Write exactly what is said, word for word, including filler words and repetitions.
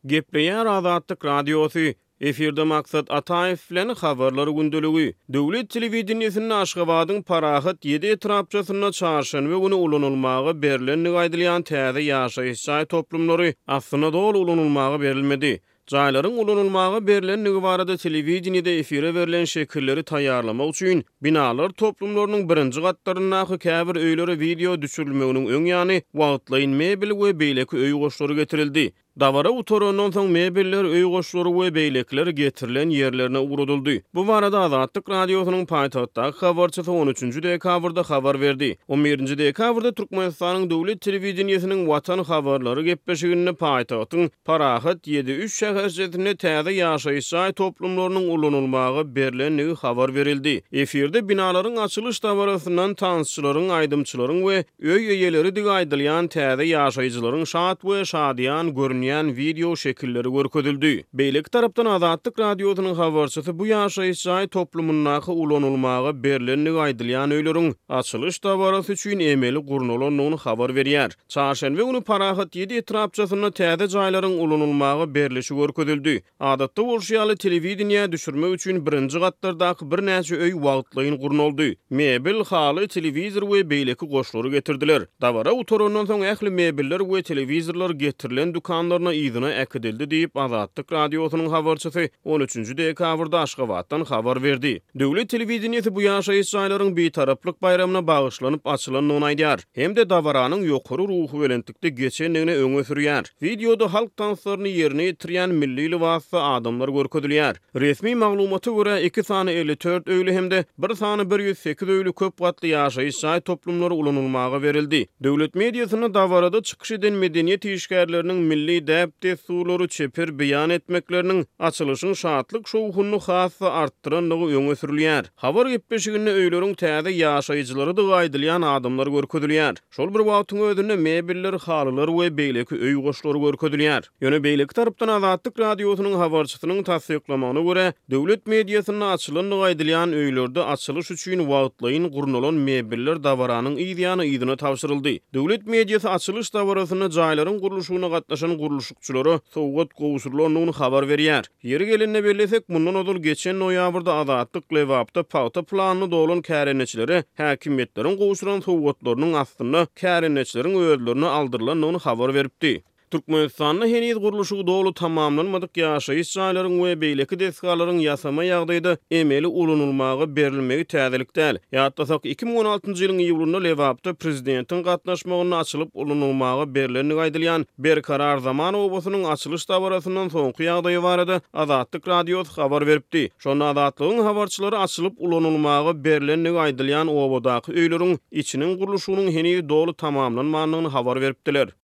Gepleýär Azatlyk Radiosy, Efirde Maksat Ataýew bilen Habarlar gündeligi. Döwlet telewideniýesinde Aşgabadyň Parahat ýedi etrapçasynda çarşenbe güni ulanylmaga berlendigi aýdylýan täze ýaşaýyş jaý toplumlary aslynda doly ulanylmaga berilmedi. Jaýlaryň ulanylmaga berlendigi barada telewideniýede efire berlen şekilleri taýýarlamak üçin binalar toplumlarynyň birinji gatlaryndaky käbir öýlere wideo düşürilmeginiň öň ýany wagtlaýyn mebel we beýleki öý goşlary getirildi. Dabara gutarandan soň mebeller, öý goşlary we beýlekiler getirilen ýerlerine ugradyldy. Bu barada Azatlyk Radiosynyň paýtagtdaky habarçysy on üçünji dekabrda habar berdi. On birinji dekabrda Türkmenistanyň döwlet telewideniýesiniň Watan habarlary gepleşiginde paýtagtyň Parahat ýedi üç şäherçesinde täze ýaşaýyş jaý toplumlarynyň ulanylmaga berlendigi habar berildi. Efirde binalaryň açylyş dabarasyndan tansçylaryň, aýdymçylaryň we öý eýeleridigi aýdylýan täze ýaşaýjylaryň şat we şadyýan görünýän wideo şekilleri görkezildi. Beýleki tarapdan Azatlyk Radiosynyň habarçysy bu ýaşaýyş jaý toplumyndaky ulanylmaga berlendigi aýdylýan öýleriň açylyş dabarasy üçin emeli gurnalandygyny habar berýär. Çarşenbe güni Parahat ýedi etrapçasynda täze jaýlaryň ulanylmaga berlişi görkezildi. Adatda bolşy ýaly telewideniýä düşürmek üçin birinji gatlardaky birnäçe öý wagtlaýyn gurnaldy. Mebel, haly, telewizor we beýleki goşlary getirdiler. Dabara gutarandan soň ähli mebeller we telewizorlar getirilen dükanlaryna yzyna äkidildi diýip, Azatlyk Radiosynyň habarçysy on üçünji dekabrda Aşgabatdan habar berdi. Döwlet telewideniýesi bu ýaşaýyş jaýlaryň Bitaraplyk baýramyna bagyşlanyp açylandygyny aýdýar hem-de dabaranyň ýokary ruhubelentlikde geçendigini öňe sürýär. Wideoda halk tanslaryny ýerine ýetirýän milli lybasda adamlar görkezilýär. Resmi maglumata görä, iki sany elli dört öýli hem-de bir sany bir ýüz sekiz öýli köp gatly ýaşaýyş jaý toplumlary ulanylmaga berildi. Döwlet mediasynda dabarada çykyş eden medeniýet işgärleriniň milli däp-dessurlary çeper beýan etmekleriniň açylyşyň şatlyk şowhunyny has-da artdyrandygy öňe sürülýär. Habar gepleşiginde öýleriň täze ýaşaýjylarydygy aýdylýan adamlar görkezilýär. Şol bir wagtyň özünde mebeller, halylar we beýleki öý goşlary görkezilýär. Ýöne beýleki tarapdan Azatlyk Radiosynyň habarçysynyň tassyklamagyna görä, döwlet mediasynda açylandygy aýdylýan öýlerde açylyş üçin wagtlaýyn gurnalan mebeller dabaranyň yz ýany yzyna tabşyryldy. Döwlet mediasy açylyş dabarasynda jaýlaryň gurluşygyna gatnaşan gurluşykçylara sowgat gowşurylandygyny habar berýär. Ýeri gelende bellesek, mundan ozal geçen noýabrda Azatlyk Lebapda pagta planyny dolan kärendeçilere häkimiýetleriň gowşuran sowgatlarynyň aslynda kärendeçileriň özlerine aldyrylandygyny habar beripdi. Türkmenistanda heniz gurluşygy doly tamamlanmadyk ýaşaýyş jaýlaryň we beýleki desgalaryň ýasama ýagdaýda emeli ulanylmaga berilmegi täzelik däl. Ýatlasak, iki müň on altynjy ýylyň iýulynda Lebapda prezidentiň gatnaşmagynda açylyp ulanylmaga berlendigi aýdylýan Berkarar zaman obasynyň açylyş dabarasyndan soňky ýagdaýy barada Azatlyk Radiosy habar beripdi. Şonda Azatlygyň habarçylary açylyp ulanylmaga berlendigi aýdylýan obadaky öýleriň içiniň gurluşygynyň heniz doly tamamlanmandygyny habar beripdiler.